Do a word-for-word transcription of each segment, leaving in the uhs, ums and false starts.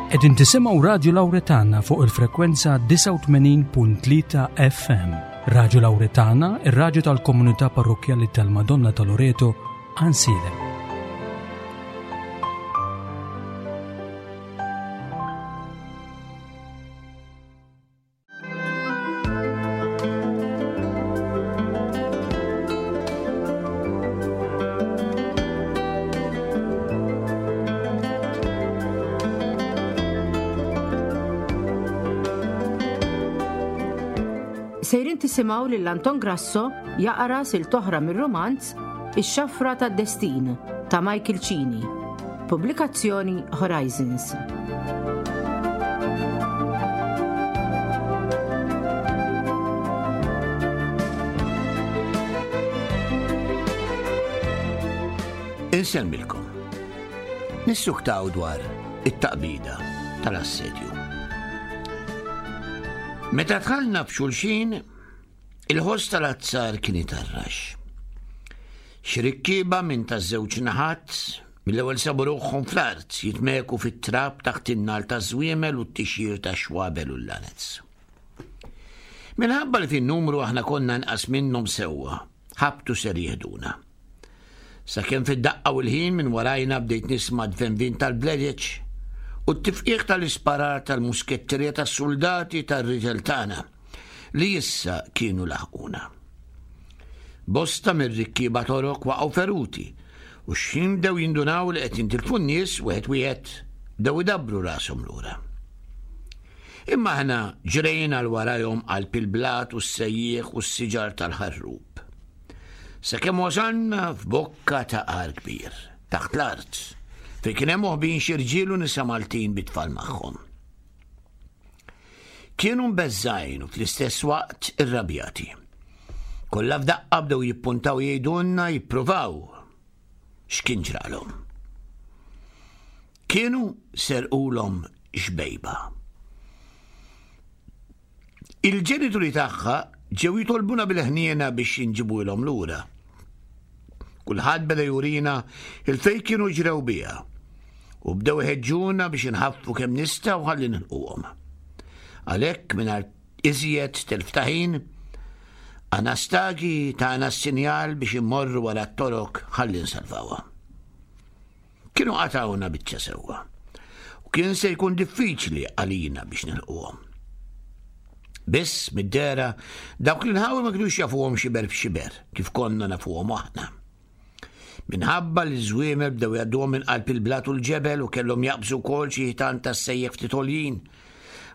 Qegħdin tisimgħu Radju Lawretana fuq il-frekwenza disgħa u tmenin punt tlieta F M. Radju Lawretana, ir-radju tal-Komunità Parrokkjali tal-Madonna ta' Loreto, Għajnsielem. Sejrin tisimgħu lil Anton Grasso jaqra silta oħra mir-romanz Ix-Xafra tad-Destin ta' Michael Cini. Pubblikazzjoni Horizons. Insellmilkom. Nissuktaw dwar it-taqbida tal-assedju. Meta dħalna f'xulxin, il-ħoss tal-azzar kien itarrax. Xi rikkieba minn taż-żewġ naħat mill-ewwel sabu ruħhom fl-art jitmeku fit-trab taħt in-nagħal taż-żwiemel u t-tixjir ta' xwabel u l-lanez. Minħabba li fin-numru aħna konna nqas minnhom sewwa, ħabtu ser jihduna. Sakemm fid-daqqa u l-ħin minn warajna bdejt nisma' dvenvin tal-bledeċ u t-tifqiħ tal-isparar tal-musketterija tas-soldati tar-riġel tagħna li issa kienu laħquna. Bosta mir-rikkieba Torok waqgħu feruti u x'ħin bdew jindunaw li qed jintilfu n-nies wieħed wieħed, bdew idabbru rashom lura. Imma aħna ġrejna 'l warajhom qalb il-blat u s-sejjieħ u s-siġar tal-ħarrub. Sakemm wasalna f'bokka ta' għar kbir, taħt l-art, fejn kien hemm moħbin xi rġiel u nisa Maltin bit-tfal magħhom. Kienu mbeżżgħin u fl-istess waqt irrabjati. Kollha f'daqqa bdew jippuntaw, jgħidulna, jippruvaw x'kien ġralhom. Kienu serqulhom xbejba. Il-ġenituri tagħha ġew jitolbuna bil-ħniena biex inġibuhom lura. Kulħadd beda jurina 'l fejn kienu ġrew biha u bdew iħeġġuna biex inħaffu kemm nistgħu ħalli nilħquhom. Għalhekk, mingħajr iżjed telf ta' ħin, Anastagi tana s-sinjal biex immorru wara t-Torok ħalli nsalvawha. Kienu qatawna biċċa sewwa u kien se jkun diffiċli għalina biex nilħquhom. Biss mid-dehra dawk l-inħawi ma kienux jafuhom xiber b'xiber kif konna nafuhom aħna. Minħabba li ż-żwiemel bdew jgħadduhom minn qalb il-blat u l-ġebel u kellhom jaqbżu wkoll xi ħitan tas-sejjieħ ftit għoljin,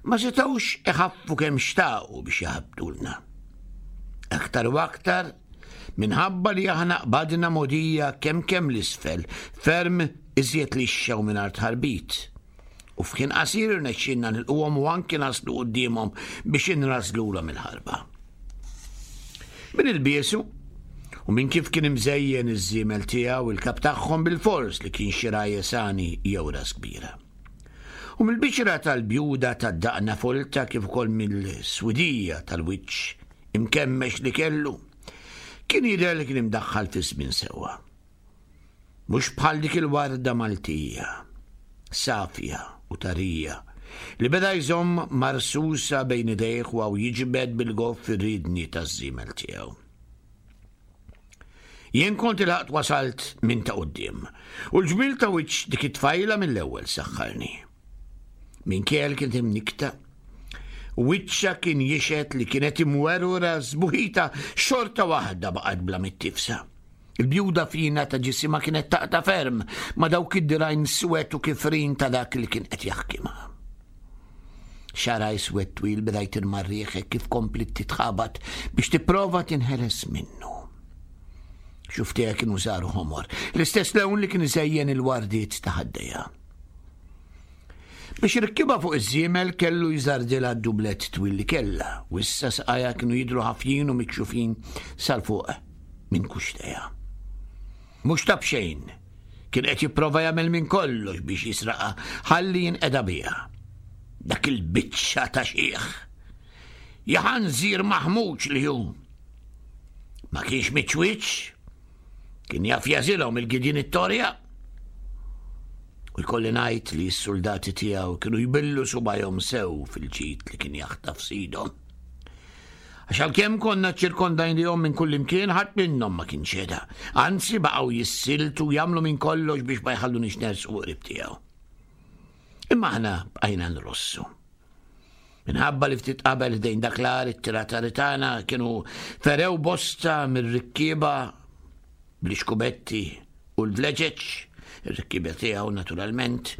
ma setgħux iħaffu kemm xtaqu biex jaħbtulna. Aktar u aktar minħabba li aħna qbadna mogħdija kemm kemm 'l isfel, ferm iżjed lixxa u mingħajr tħarbit. U f'ħin qasir irnexxinna nilħquhom u anki naslu quddiemhom biex inrażlulhom il-ħarba. Min ilbiesu u minn kif kien imżejjen iż-żiemel tiegħu, il-kap tagħhom bil-fors li kien xi rajjesani jew ras kbira. U mill-bixra tal-bjuda tad-daqna folta kif ukoll mill-swidija tal-wiċċ imkemmex li kellu, kien jidher li kien imdaħħal fi żmien sewwa. Mhux bħal dik il-warda Maltija, safja u tarija, li beda jżomm marsusa bejn idejh u jiġbed bil-goff ir-ridni taż-żiemel tiegħu. Jien kont ilħaqt wasalt minn ta' quddiem, u l-ġmil ta' wiċċ dik it-tfajla mill-ewwel saħħarni. Minkejja li kienet imnikta, wiċċha kien jixhed li kienet imwerwra, sbuħitha xorta waħda baqgħet bla mittifsa. Il-bjuda fina ta' ġisimha kienet taqta' ferm ma' dawk id-dirgħajn swed u kifrin ta' dak li kien qed jaħkimha. Xagħarha iswed twil beda jtir mar-riħ kif komplit titħabat biex tipprova tinħeles minnu. Xufftejha kienu saru ħomor, l-istess lewn li kien iżejjen il-wardiet ta' ħaddejha. Biex irikkibha fuq iż-żiemel kellu jżardilha d-dublet twil li kella, u issa saqajha kienu jidru ħafjin u mikxufin sal-fuq minn kuxtejha. Mhux ta' b'xejn, kien qed jipprova jagħmel minn kollox biex jisraqa ħalli jinqeda biha. Dak il-biċċa ta' xiħ. Jaħanżir maħmuġ li hu. Ma kienx miċwiċ, kien jaf jażilhom il-gidin it-torja. U jkolli ngħid li s-soldati tiegħu kienu jbillu subajhom sew fil-ġid li kien jaħtaf sidhom. Għax għalkemm konna ċirkondajnihom minn kull imkien ħadd minnhom ma kien ċeda. Anzi baqgħu jissiltu jagħmlu minn kollox biex ma jħallunix nersqu qrib tiegħu. Imma aħna bqajna nrossu. Minħabba li ftit qabel ħdejn dak l-għar it-tiratari tagħna kienu ferew bosta mir-rikkieba bl-ixkubetti u l-vleġeġ, ir-rikkieba tiegħu naturalment.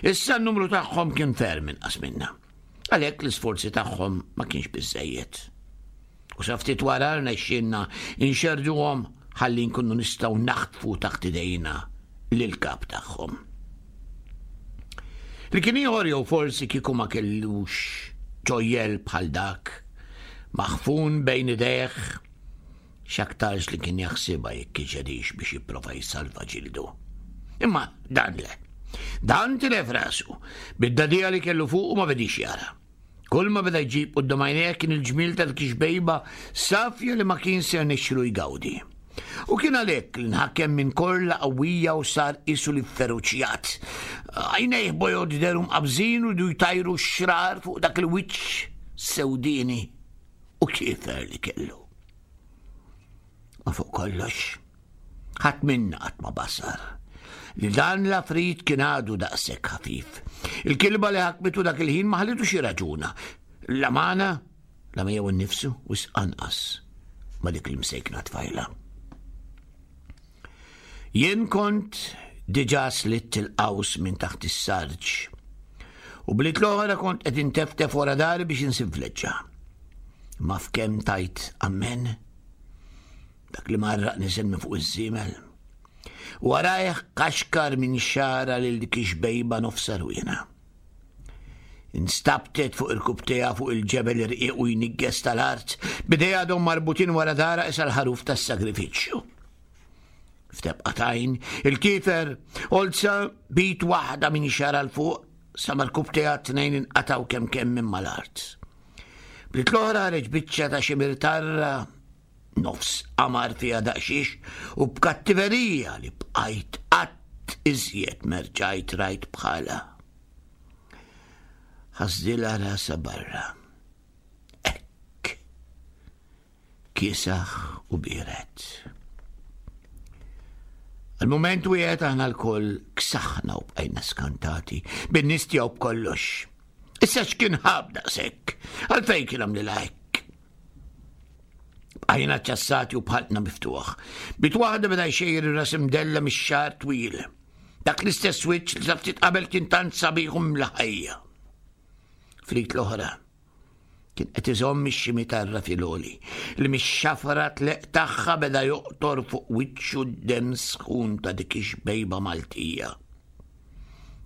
Issa n-numru tagħhom kien ferm inqas minna. Għalhekk l-isforzi tagħhom ma kienx biżejjed. U sa ftit wara rnexxielna nxerduhom ħalli nkunu nistgħu naħtfu taħt idejna lil-kap tagħhom. Li kien ieħor jew forsi kieku ma kellux ġojjel bħal dak, maħfun bejn idejh, x'aktarx li kien jaħsibha jekk iġedix biex jipprova jsalva ġildu. Imma dan le. Dan tilef rasu, bid-dadija li kellu fuq u ma bedix jara. Kull ma beda jġib quddiem għajnejh kien il-ġmiel ta' dik ix-xbejba safja li ma kien ser nixxilu jgawdi. U kien għalhekk li nħakem minn korla qawwija u sar qisu li feruċjat. Għajnejh bojod dehru mqabżin u du jtajru x-xrar fuq dak il-wiċċ sewdini u kiefer li kellu. Ma fuq kollox, ħadd minna qatt ma basar li dan l-afrit kien għadu daqshekk ħafif. Il-kilba li ħakmitu dak il-ħin ma ħallitu xi raġuna. La magħna, la miegħu nnifsu, wisq anqas ma dik l-imsejkna tfajla. Jien kont diġà slitt il-qaws minn taħt is-sarġ u blit l-oħra kont qed inteftef wara dari biex insib vleġġa. Ma f'kemm tajt ammen, dak li marraq niżel minn fuq iż-żiemel. Warajh kaxkar minn xara lil dik ix-xbejba nofs rwina. Instabtet fuq il-kubtejha fuq il-ġebel irqiq u jnigges tal-art, b'idejha għadhom marbutin wara dara isa l-ħaruf tas-sagrifiċċju. F'tebqa tajn, il-kifer olza bit waħda minn xara l fuq sa ma l-kubtejha t-tnejn inqataw kemm kemm minn mal-art. Blit l-oħra ħareġ biċċa ta' xi mirtarra nofs qamar fiha daqsxiex u b'kattiverija li bqajt qatt iżjed merġajt rajt bħala. Ħasdilha rasa barra. Hekk. Kiesaħ u biered. Għal-moment wieħed aħna lkoll ksaħna u bqajna skantati bin-nies tiegħu b'kollox. Issa x'kien ħab daqshekk? Għalfejn kien għamlilha hekk? Bqajna ċassati u bħalqna miftuħ. Bit waħda beda jxejjer ir-ras imdella mix-xagħar twil. Dak l-istess wiċċ li sa ftit qabel kien tant sabiħ u mla ħajja. Frit l-oħra kien qed iżomm ix-ximitarra fil-għoli li mix-xafra tleq tagħha beda joqtor fuq wiċċu d-demm sħun ta' dik ix-xbejba Maltija.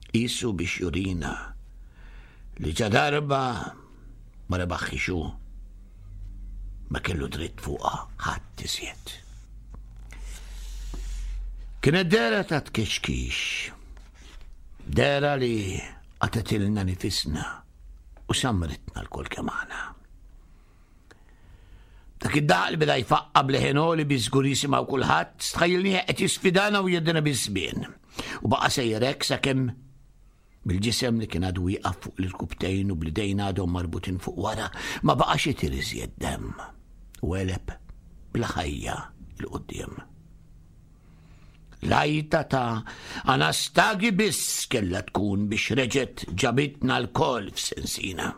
Qisu biex jurina li ġa darba ma rebaħħix hu, ma kellu dritt fuqha ħadd iżjed. Kienet dehra ta' tkexkix, dehra li qatgħetilna nifisna u samritna lkoll kemm aħna. Dak id-daq li beda jfaqqa bleħen għoli bi żgur jisimgħu kulħadd, stħajjilnieh qed jisfidana u jeddina biż-żmien. U baqa' sejjer hekk sakemm bil-ġisem li kien għadu wieqaf fuq l-irkubtejn u bl-idejn għadhom marbutin fuq wara, ma baqax itir iżjed demm u għeleb bla ħajja 'l quddiem. L-għajta ta' Anastagi biss kellha tkun biex reġgħet ġabitna lkoll f'sensina.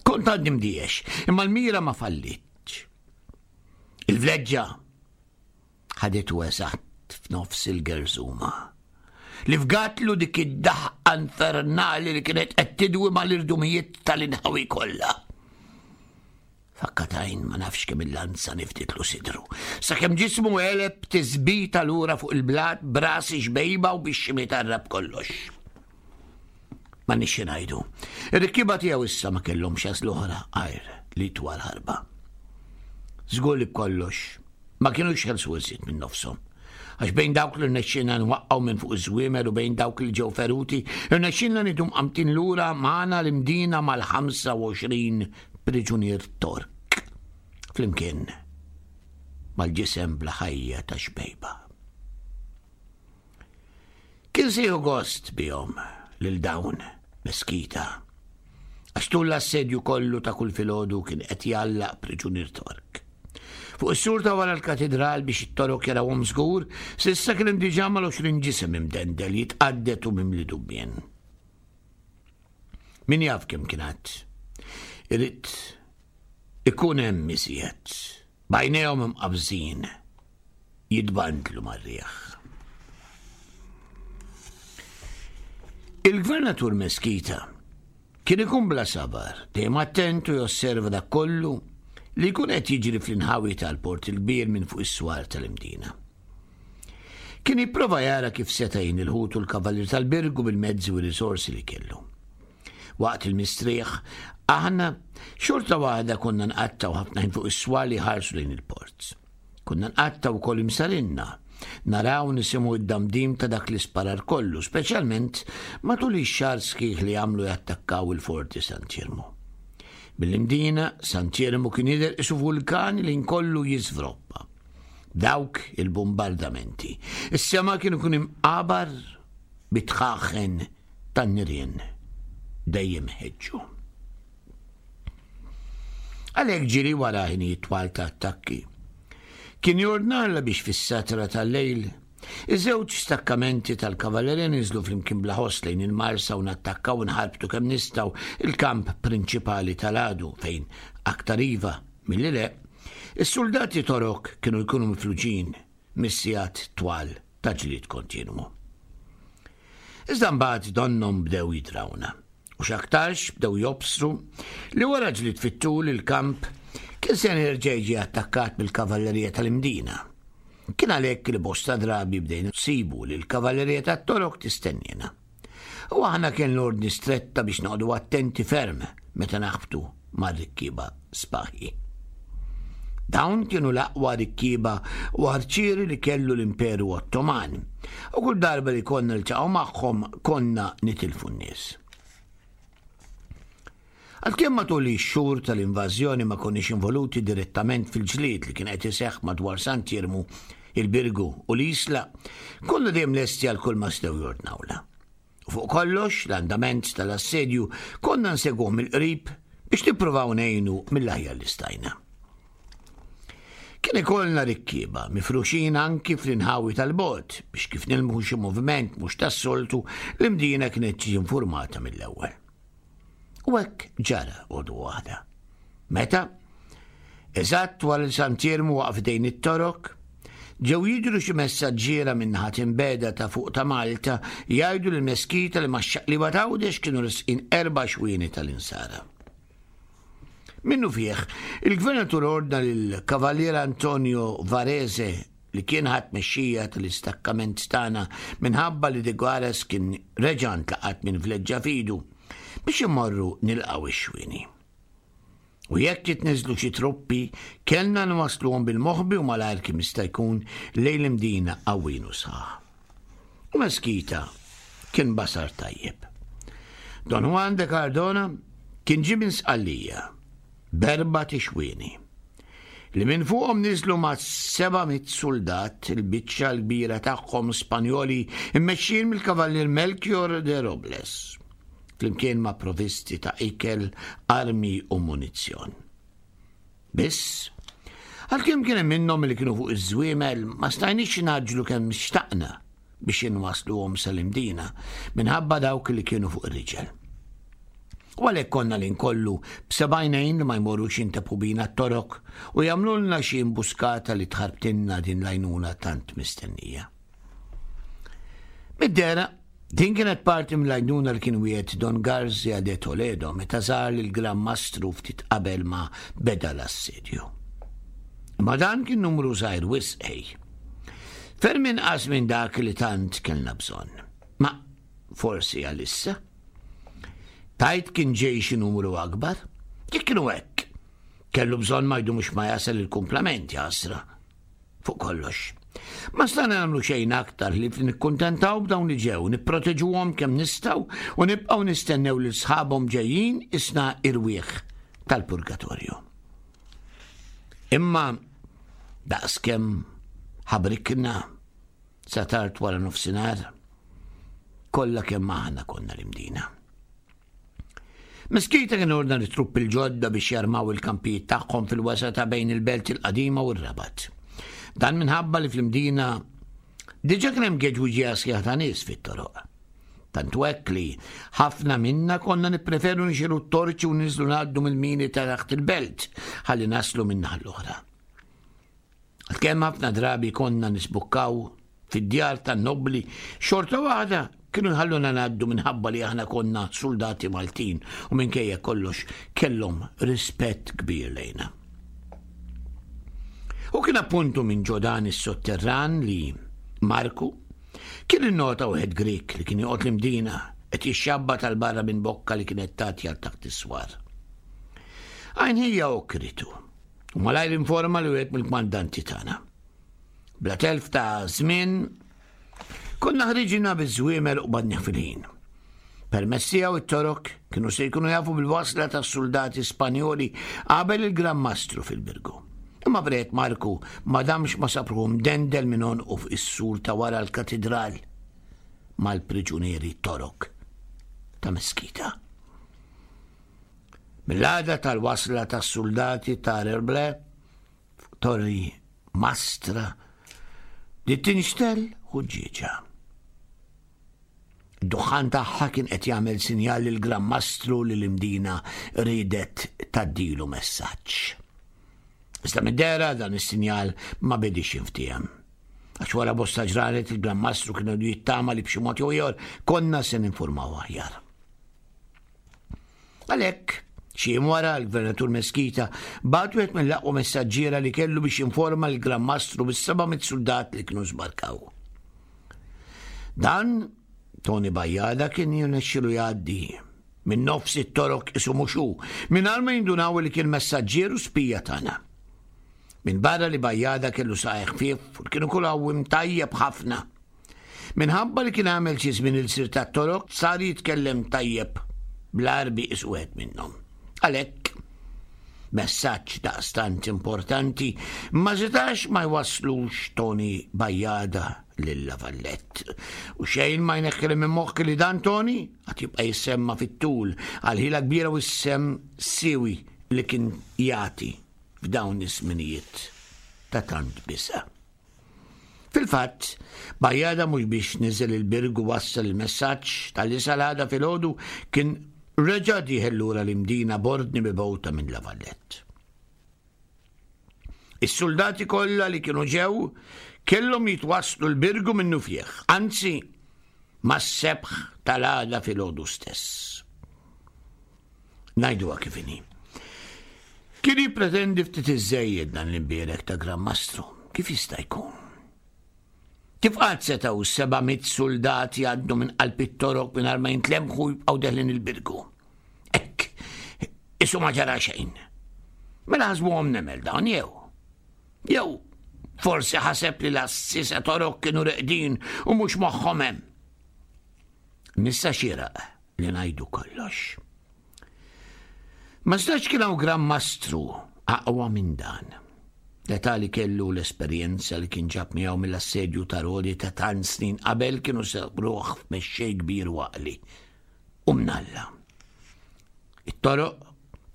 Kont għadni mdiex, imma l-mira ma fallitx. Il-vleġġa ħaditu eżatt f'nofs il-gerżuma. Li fgatlu dik id-daħqa infernali li kienet qed tidwi mal-irdumijiet tal-inħawi kollha. Fakkatajn ma nafx kemm il-lanza niftitlu sidru. Sakemm ġismu għeleb tisbita lura fuq il-blat brasi xbejba u biex ximitarra b'kollox. Ma nixxi ngħidu. Ir-rikkiba tiegħu issa ma kellhomx għażla oħra għajr li twal ħarba. Żgur li b'kollox ma kinux ħelsu iżjed minn nofshom. Għax bejn dawk li rnexxilna nwaqqgħu minn fuq iż-żwiemel u bejn dawk li ġew feruti, rnexxilna nidu mqamtin lura magħna l-imdina mal-ħamsa u għoxrin priġunier Tork. Flimkien mal-ġisem bla ħajja ta' xbejba. Kien se jieħu gost bihom lil dawn Meskita. Għax tul l-assedju kollu ta' kull filgħodu kien qed jgħallaq priġunier Tork. Fuq is-sur ta' wara l-katedral biex it-Torok jarawhom żgur, s'issa kien hemm diġà mal-għoxrin ġisem imdendel jitqaddet u mimli dubbien. Min jaf kemm kien għadd. Irid ikun hemm iżjed, b'għajnejhom imqabżin, jitbandlu mar-riħ. Il-gvernatur Meskita kien ikun bla sabar, dejjem attent u josserva dak kollu li jkun qed jiġri fl-inħawi tal-Port il-Kbir minn fuq is-swar tal-Imdina. Kien jipprova jara kif seta' jgħin il-ħut u l-kavallier tal-Birgu bil-mezzi u r-risorsi li kellu. Waqt il-mistrieħ, aħna xorta waħda konna nqattgħu ħafna ħin fuq is-swar li jħarsu lejn il-port. Konna nqattgħu wkoll imsarinna, naraw nisimgħu id-damdim ta' dak l-isparar kollu, speċjalment matul ix-xahar sħiħ li għamlu jattakkaw il-Forti Sant'Iermu. Mill-Imdina, Sant'Iermu kien jidher qisu vulkan li nkollu jiżvroppa. Dawk il-bombardamenti. Is-sema kien ikun imqabar bitħaħen tan-nirien dejjem ħeġġu. Għalhekk ġiri wara ħinijiet twal ta' attakki. Kien jordnarla biex fis-satra tal-lejl iż-żewġ stakkamenti tal-kavallerija niżlu flimkien bla ħoss lejn il-Marsa u nattakkaw u nħarbtu kemm nistgħu il-kamp prinċipali tal-għadu fejn aktar iva milli le, is-soldati Torok kienu jkunu mifluġin mis-sigħat twal ta' ġlied kontinwu. Iżda mbagħad donnhom bdew jidrawna u x'aktarx bdew jobsru li wara ġlied fit-tul il-kamp kien se jerġa' jiġi attakkat mill-kavallerija tal-Imdina. Kien għalhekk li bosta drabi bdejna nsibu li l-kavallerija tat-Torok tistennina. U aħna kien l-ordni stretta biex noqogħdu attenti ferm meta naħbtu mar-rikkieba spaħi. Dawn kienu l-aqwa rikkieba u arċieri li kellu l-Imperu Ottoman, u kull darba li konna niltaqgħu magħhom konna nitilfu n-nies. Għalkemm matul ix-xhur tal-invażjoni ma konniex involuti direttament fil-ġlied li kien qed iseħħ madwar Sant'Iermu, il-Birgu u l-Isla, konna dejjem lesti għal kull ma setgħu jordnawla. U fuq kollox, l-andament tal-assedju konna nsegwuh mill-qrib biex nippruvaw ngħinu mill-aħjar li stajna. Kien ikollna rikkieba mifruxin anki fl-inħawi tal-bot biex kif nilmħu xi moviment mhux tas-soltu l-Imdina kienet tiġi informata mill-ewwel. U hekk ġara għodu waħda. Meta, eżatt wara li Sant'Iermu waqaf dejn it-Torok, ġew jidhru xi messaġġiera minn naħa imbeda ta' fuq ta' Malta jgħidu lil Meskita li max-xaqliba t'Għawdex kienu resqin erba' xwieni tal-insara. Minnu fih, il-gvernatur ordna lill-Kavallier Antonio Varese li kien ħadd mexxija tal-istakkament tagħna minħabba li de Guares kien reġa' ntlaqat minn vleġġa fidu biex imorru nilqgħu ix-xwieni. U jekk jitniżlu xi truppi, kellna nwassluhom bil-moħbi u malajr kemm jista' jkun lejn l-Imdina qawwin u sħaħ. U Meskita kien basar tajjeb. Don Juan de Cardona kien ġie minn Sqallija b'erba' tixwieni li minn fuqhom niżlu ma' seba' mitt soldat, il-biċċa l-kbira tagħhom Spanjoli immexxijin mill-Kavallier Melchior de Robles, flimkien ma' provvisti ta' ikel, armi u munizzjon. Biss, għalkemm kien hemm minnhom li kienu fuq iż-żwiemel, ma stajniex naġlu kemm xtaqna biex inwasluhom sal-Imdina minħabba dawk li kienu fuq ir-riġel. U għalhekk konna li nkollu b'sebgħinejn li ma jmorrux jintepu bina t-Torok u jagħmlulna xi imbuskata li tħarbtinna din l-għajnuna tant mistennija. Mid-dera, din kienet parti mill-għajnuna li kien wiegħed Don Garzia de Toledo meta żar lill-Gran Mastru ftit qabel ma beda l-assedju. Ma dan kien numru żgħir wisq ej. Ferm inqas minn dak li tant kellna bżonn. Ma forsi għalissa. Tajt kien ġej xi numru akbar? Jekk kienu hekk, kellu bżonn ma jdumux ma jasal il-kumplament jasra. Fuq kollox. Ma stajna nagħmlu xejn aktar li nikkuntentaw b'dawn li ġew, nipproteġuhom kemm nistgħu u nibqgħu nistennew lil sħabhom ġejjin isna irwieħ tal-purgatorju. Imma daqskemm ħabrikna sa tard wara nofsinhar, Kollha kemm aħna konna l-Imdina. Meskita kien ordna l-truppi l-ġodda biex jarmaw il-kampijiet tagħhom fil-wasa ta' bejn il-belt il-qadima u r-Rabat. Dan minħabba li fl-Imdina diġà kien hemm geġwiġija sħiħa ta' nies fit-toroq. Tant hekk li ħafna minna konna nippreferu nixegħlu t-torċi u niżlu ngħaddu mill-mini ta' taħt il-belt ħalli naslu min-naħa l-oħra. Għalkemm ħafna drabi konna nisbukkaw fid-djar tan-nobbli, xorta waħda kienu jħalluna ngħaddu minħabba li aħna konna soldati Maltin u minkejja kollox kellhom rispett kbir lejna. U kien appuntu minn ġo dan is-sotterran li Marku kien innota wieħed Grek li kien joqgħod l-Imdina qed jixxabbat għal barra minn bokka li kienet tagħti għal taħt is-swar. Għajn ħija okritu u malajr informa li wieħed mill-kmandanti tagħna. Bla telf ta' żmien konna ħriġina biż-żwiemel u badnieh fil-ħin. Permezz tiegħu it-Torok kienu se jkunu jafu bil-wasla tas-soldati Spanjoli qabel il-Gran Mastru fil-Birgu. Imma bret Marku ma damx ma sab ruħu mdendel minn għonqu fuq is-sur ta' wara l-katidral mal-priġunieri Torok ta' Meskita. Mill-għada tal-wasla tas-soldati ta' Rerble, Torri Mastra, li tinxtel ħuġġieġa. Id-duħħan tagħha kien qed jagħmel sinjal lil Gran Mastru li l-Imdina ridet tgħaddilu messaġġ. Iżda mid-dehra dan is-sinjal ma bedix jinftiehem. Għax wara bosta ġranet il-Gran Mastru kienu jittama li b'xi mod jew ieħor konna se ninformaw aħjar. Għalhekk, xi jiem wara l-Gvernatur Meskita bagħat wieħed mill-aqwa messaġġiera li kellu biex jinforma l-Gran Mastru bis-seba' mitt soldat li kienu żbarkaw. Dan Tony Bajjada kien jirnexxilu jgħaddi minn nofs it-Torok isu mhux hu, mingħajr ma jindunaw li kien messaġġier u spija tagħna. Minn barra li Bajjada kellu saqajh ħfief u kienu kull għawim tajjeb ħafna. Minħabba li kien għamel xi żmien il-sir tat-Torok sar jitkellem tajjeb bl-Għarbi isu wieħed minnhom. Għalhekk, messaġġ daqstant importanti ma setax ma jwasslux Tony Bajjada lil La Vallette. U xejn ma jneħħi minn moħħi li dan Tony għad jibqa' jissemma fit-tul għal ħila kbira u s-sem siwi li kien jagħti f'dawn iż-żminijiet ta' tant bisa. Fil-fatt, Bajjada mhux biex niżel il-Birgu wassal il-messaġġ tal-li sal-għada filgħodu kien reġa' dieħel lura l-Imdina b'ordni mibgħuta minn La Vallette. Is-soldati kollha li kienu ġew kellhom jitwasslu l-Birgu minnu fih, anzi mas-sebħ tal-għada filgħodu stess. Ngħiduha kif inhi. Kien jippretendi ftit iżżejjed dan l-imbierek ta' Gran Mastru, kif jista' jkun? Kif qatt setgħu seba' mitt soldat jgħaddu minn qalb it-Torok mingħajr ma jintlemħu jibqgħu deħlin il-Birgu? Hekk, isu ma ġara xejn. Mela ħasbuhom nemel dawn jew? Jew forsi ħaseb li l-assisa Torok kienu reqdin u mhux moħħhom hemm. Nissa xieraq li ngħidu kollox. Ma stax kien hawn Gran Mastru aqwa minn dan. L-età li kellu l-esperjenza li kien ġab miegħu mill-assedju ta' Rodi ta' tant snin qabel kienu sabruh f'mexxej kbir u għaqli. U mnalla. It-Toroq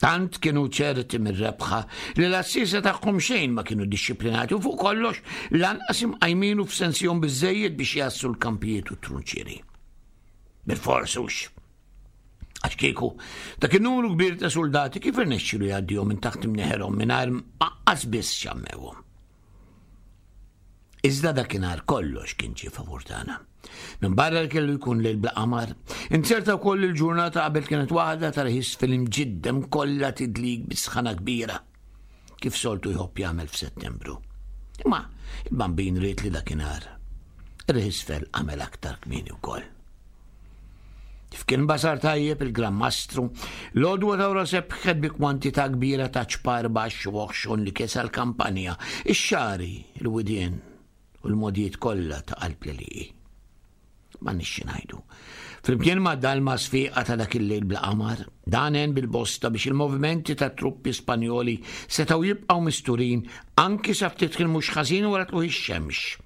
tant kienu ċerti mir-rebħa li l-assisa tagħhom xejn ma kienu dixxiplinati u fuq kollox lanqas imqajminu f'sensihom biżżejjed biex jassu l-kampijiet u t-trunċieri. Bil-fors hux. Għax kieku, dak in-numru kbir ta' soldati kif irnexxielu jgħaddihom minn taħt imneħerhom mingħajr aqqas biss xammewhom. Iżda dakinhar kollox kien ġie favur tagħna. Minn barra li kellu jkun lejl bla qamar, inzerta wkoll il-ġurnata qabel kienet waħda ta' rħis fil-imġiddem kollha tidlik bi sħana kbira, kif soltu jħobb jagħmel f'Settembru. Imma il-Bambin ried li dakinhar ir-ħisfel għamel aktar kmieni wkoll. Kif kien basar tajjeb il-Gran Mastru, l-għodwa ta' wara sebħet bi kwantità kbira ta' ċpar baxx u oħxon li kesa l-kampanja, ix-xagħri, il-widien u l-modijiet kollha ta' qalb l-għelieqi. Ma nixxi ngħidu. Flimkien ma' dalma sfiqa ta' dak il-lejl bla qamar, dan għen bil-bosta biex il-movimenti ta' truppi Spanjoli setgħu jibqgħu misturin anki sa ftit ħin mhux ħażin wara tlugħ ix-xemx.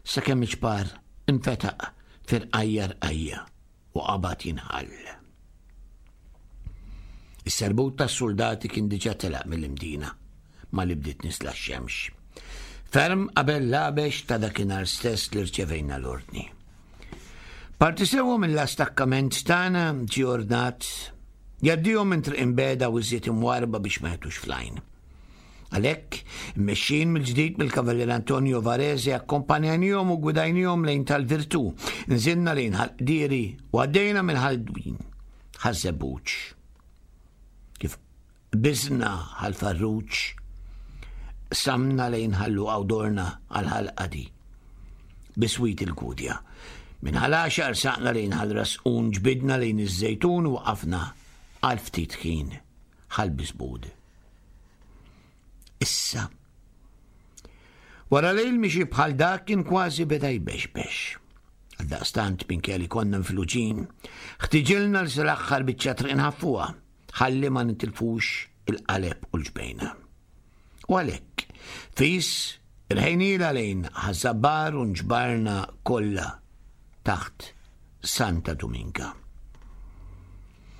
Sakemm iċ-ċpar infetaq Firqajja rqajja u qabad jinħall. Is-serbut tas-suldati kien diġà telaq mill-Imdina malli bdiet nisla x-xemx. Ferm qabel l-għabex ta' dakinhar stess li rċevejna l-ordni. Parti sewwa mill-istakkament tagħna ġie ordnat jgħaddihom minn triq imbegħda u iżjed imwarrba biex ma jagħtux fl-għajn. Għalhekk, immexxin mill-ġdid mill-Kavallier Antonio Varese akkompanjanihom u gwidajnihom lejn tal-Virtù, nżilna lejn Ħal-Qdieri u għaddejna minn Ħal-Dwin, Ħaż-Żebbuġ. Kif qbiżna Ħal-Farruġ, qsamna lejn Ħal-Luqa u dorna għal Ħal-Qadi, biswit il-Gudja. Minn Ħal-Għaxaq rsaqna lejn Ħal-Rasqun, ġbidna lejn iż-Żejtun u waqafna għal ftit ħin Ħal-Bisbud. Issa, wara lejl mixi bħal dak kien kważi beda jbexbex. Għaldaqstant minkejja li konna mfluġin, ħtiġilna l sal-aħħar biċċa triq inħaffuha, ħalli ma nitilfux il-qaleb u l-ġbejna. U għalhekk, fis irħejnila lejn Ħaż-Żabbar u nġbarna kollha taħt Santa Dominka.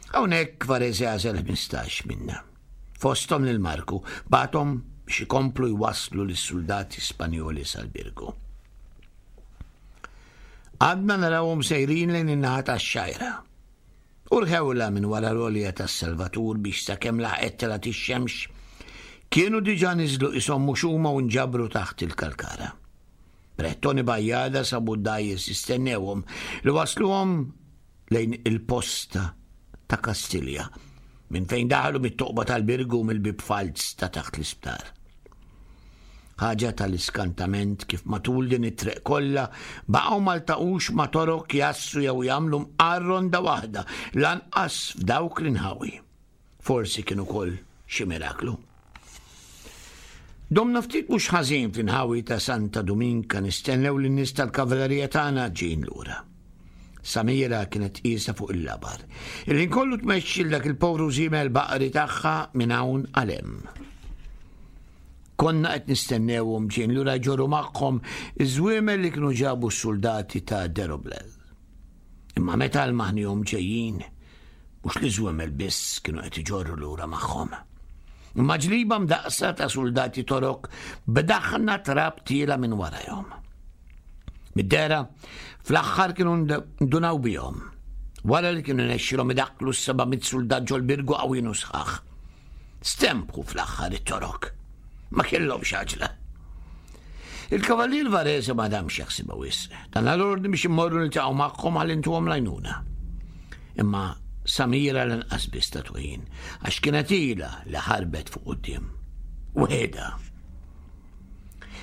Hawnhekk Varese għażel ħmistax minna. Fosthom lil Marku, bagħathom biex ikomplu jwasslu lis-suldati Spanjoli sal-Birgu. Għadna narawhom sejrin lejn in-naħa tax-Xgħajra. U rħewla minn wara l-għolja tas-Salvatur biex sakemm laħqet telgħet ix-xemx, kienu diġà niżlu qishom mhux huma u nġabru taħt il-kalkara. Brettoni Bajjada sabu d-dgħajjes jistennewhom li wasluhom lejn il-posta ta' Kastilja, minn fejn daħlu mit-toqba tal-Birgu mill-bib falz ta' taħt l-isptar. Ħaġa tal-iskantament kif matul din it-triq kollha baqgħu ma ltaqux ma' torok jassu jew jagħmlu mqar ronda waħda lanqas f'dawk l-inħawi. Forsi kien ukoll xi miraklu. Domna ftit mhux ħażin fl-inħawi ta' Santa Dominka nistennew lin-nies tal-kavallerija tagħna ġejjin lura. Samira kienet qiesha fuq il-labar. Il-ħin kollu tmexxi dak il-povru żiemel baqri tagħha minn hawn għal hemm. Konna qed nistennewhom ġejjin lura jġorru magħhom iż-żwiemel li kienu ġabu s-soldati ta' Deroblel. Imma meta l-maħnihom ġejjin, mhux li żwiemel biss kienu qed iġorru lura magħhom. Imma ġliba mdaqsa ta' soldati torok b'daħna trab tiela minn warajhom. Mid-dera, fl-aħħar kienu ndunaw bihom. Wara li kienu nexxilhom idakklu s-seba' mitt suldat ġol-Birgu qawwin u sħaħ. Stempħu fl-aħħar it-torok. Ma kellhomx għaġla. Il-Kavallier Varese ma damx jaħsibha wisq. Dan l-ordni biex immorru niltaqgħu magħhom ħalli ntuhom l-għajnuna. Imma Samira lanqas biss tatu ħin, għax kienet ilha li ħarbet fuq quddiem. Weħidha.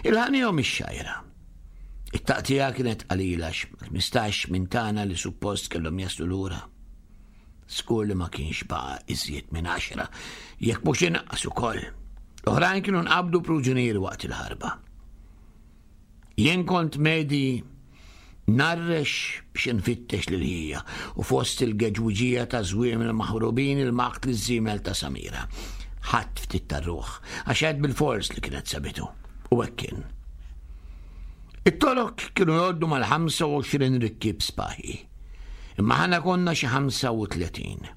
Il-ħanihom ix-Xgħajra. It-taqtija kienet qalila ħmistax minn tagħna li suppost kellhom jaslu lura. Skur li ma kienx baqa' iżjed minn għaxra, jekk mhux inqas ukoll. L-oħrajn kienu nqabdu pruġunieri waqt il-ħarba. Jien kont medi narrex biex nfittex lil ħija u fost il-geġwiġija ta' żwiemel maħrubin il-maqt li żiemel ta' Samira. Ħadd ftit tar-ruħ, għax għed bil-fors li kienet sabitu. U hekk kien. It-torok kienu jgħoddu mal-ħamsa u għoxrin rikkib spaħi. Imma ħana konna xi ħamsa u tletin.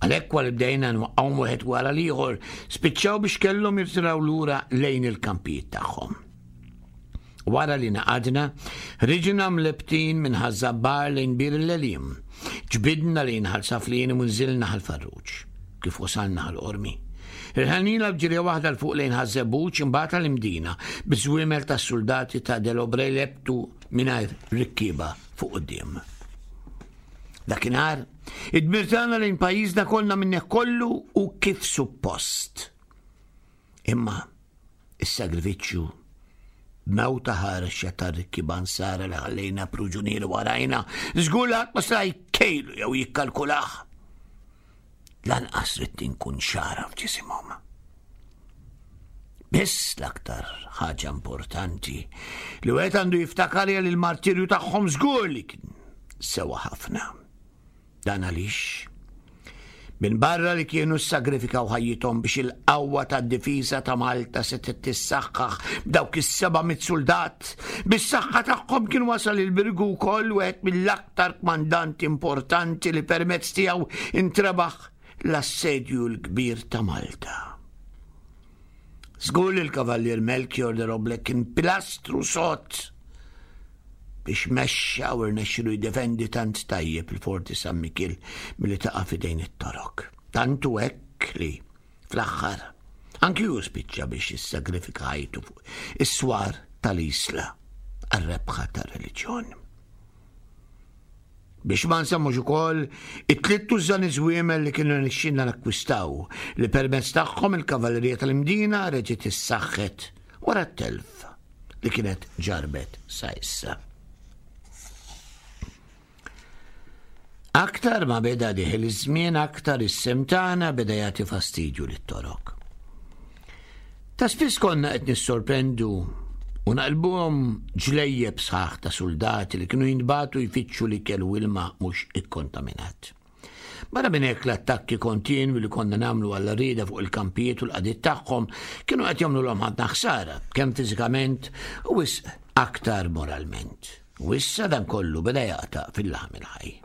Għalhekk wara bdejna nwaqqgħu wieħed wara l-ieħor, spiċċaw biex kellhom jirtiraw lura lejn il-kampijiet tagħhom. Wara li naqadna, ħriġna mlebtin minn Ħaż-Żabbar lejn Bir il-Lelim. Ġbidna lejn Ħal Saflin u nżilna Ħal Farruġ. Kif wasalna Ħal Qormi. Irħanila b'ġirja waħda l fuq lejn Ħaż-Żebbuġ imbagħad għall-Imdina biż-żwiemel tas-soldati ta' Delobre lebtu mingħajr rikkieba fuq quddiem. Dakinhar, id-dmir tagħna lejn pajjiżna kollna minnek kollu u kif suppost. Imma is-sagrifiċċju b'mewta ħarxa tar-rikkieba nsara li ħallejna pruġunieri warajna, żgur li ħadd ma seta' jkejlu jew jikkalkulah. Lanqas ridt inkun xara f'ġisimhom. Biss l-aktar ħaġa importanti li wieħed għandu jiftakar hija li l-martirju tagħhom żgur li kien sewa ħafna. Dan għaliex Minbarra li kienu ssagrifikaw ħajjithom biex il-qawwa tad-difiża ta' Malta setgħet tissaħħaħ b'dawk is-seba' mitt suldat, bis-saħħa tagħhom kien wasal il-Birgu wkoll wieħed mill-aktar kmandanti importanti li permezz tiegħu intrebaħ l-assedju l-kbir ta' Malta. Żgur li l-Kavallier Melchior de Roble kien pilastru sod biex mexxa u rnexxilu jiddefendi tant tajjeb il-Forti San Mikiel milli taqa' f'idejn it-Torok. Tant hu hekk li, fl-aħħar, anki hu spiċċa biex jissagrifika ħajtu fuq is-swar tal-Isla għar-rebħa tar-reliġjon. Biex ma nsemmux ukoll it-tliet tużżani żwiemel li kienu rnexxilna nakkwistaw li permezz tagħhom il-kavallerija tal-Imdina reġgħet issaħħet wara t-telf li kienet ġarbet sa issa. Aktar ma beda diħel iż-żmien aktar is-sem tagħna beda jagħti fastidju lit-Torok. Ta' spiss konna qed nissorprendu u naqlbuhom ġlejjeb sħaħ ta' suldati li kienu jintbagħtu jfittxu l-ikel u ilma mhux ikkontaminat. Barra minn hekk l-attakki kontinwi li konna nagħmlu għall-għarrieda fuq il-kampijiet u l-qagħdiet tagħhom kienu qed jagħmlulhom ħafna ħsara, kemm fiżikament u wisq aktar moralment. U issa dan kollu beda jaqta' fil-laħam il-ħaj.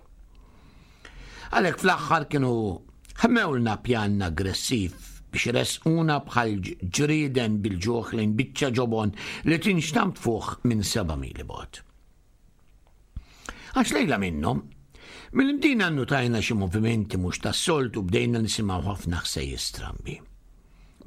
Għalhekk fl-aħħar kienu ħmewlna pjan aggressiv biex iressquna bħal ġrieden bil-ġuħ lejn biċċa ġobon li tinxtamp fuq minn seba' mili bogħod. Għax lejla minnhom, mill-Imdina nnutajna xi movimenti mhux tas-soltu bdejna nisimgħu ħafna ħsejjes strambi.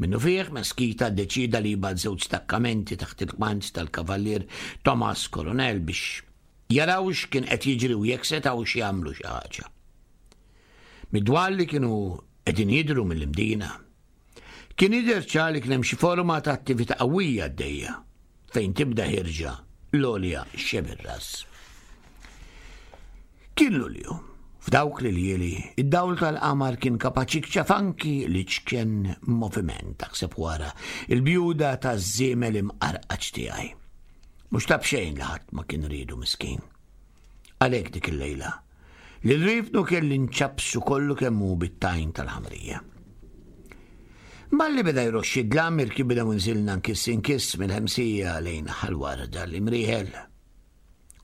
Minnu fih, Meskita ddeċida li jibgħat żewġ stakkamenti taħt il-kmand tal-Kavallier Thomas Coronel biex jaraw x'kien qed jiġri u jekk setgħux jagħmlu xi ħaġa. Mid-dwal li kienu qegħdin jidhru mill-Imdina, kien jidher ċar li kien hemm xi forma ta' attività qawwija għaddejja fejn tibda ħirġa l-għolja xebir-ras. Kien Lulju. F'dawk l-iljieli, id-dawl tal-qamar kien kapaċi jikxef anki l-iċken moviment, taħseb wara il-bjuda taż-żiemel imqarqaċ tiegħi. Mhux ta' b'xejn li ħadd ma kien riedu miskin. Għalhekk dik il-lejla, lil rifnu kelli nċappsu kollu kemm hu bit-tajn tal-ħamrija. Malli beda jroxxi d-dlam irkibna u nżilna nkiss inkiss mill-ħemsija lejn Ħal-Warda l-Imrieħel.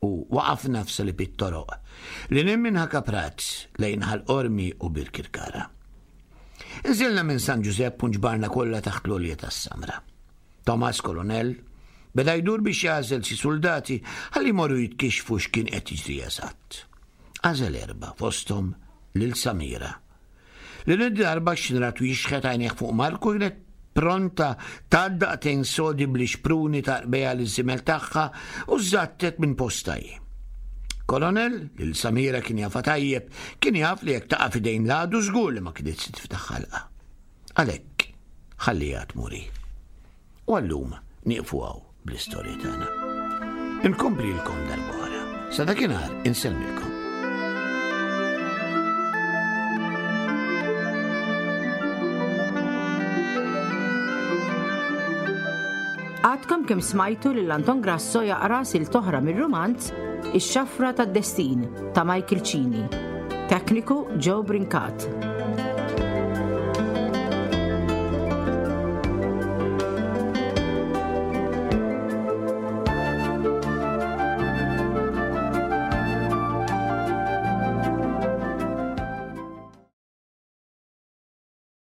U waqafna f'salib it-toroq li nim minn Ħakaprat lejn Ħal Qormi u Birkirkara. Nżilna minn San Ġużepp u nġbarna kollha taħt l-għolja tas-Samra. Thomas Colonel beda jdur biex jagħżel xi suldati ħalli jmorru jitkixxfu x'kien qed jiġri eżatt. Għażel erba' fosthom lil Samira. Li darba x'nratu jixħet għajnejh fuq Marku kienet pronta tgħaddaq sodi bl-ixpruni ta' qbeja l-żimel tagħha u żattet minn postaj. Kolonel, lil Samira kien jafa tajjeb, kien jaf li jekk taqa' f'idejn l-għadu żgur li ma kienet se tiftaħ ħalqa. Għalhekk ħalliha tmuri. U għallum nieqfu hawn bl-istorja tagħna. Inkomplilkom darb'oħra. Sa dakinhar insellmilkom. Għadkom kemm smajtu lil Anton Grasso jaqra sil toħra mir-rumanz Ix-Xafra tad-Destin ta' Michael Cini. Tekniku Joe Brincat.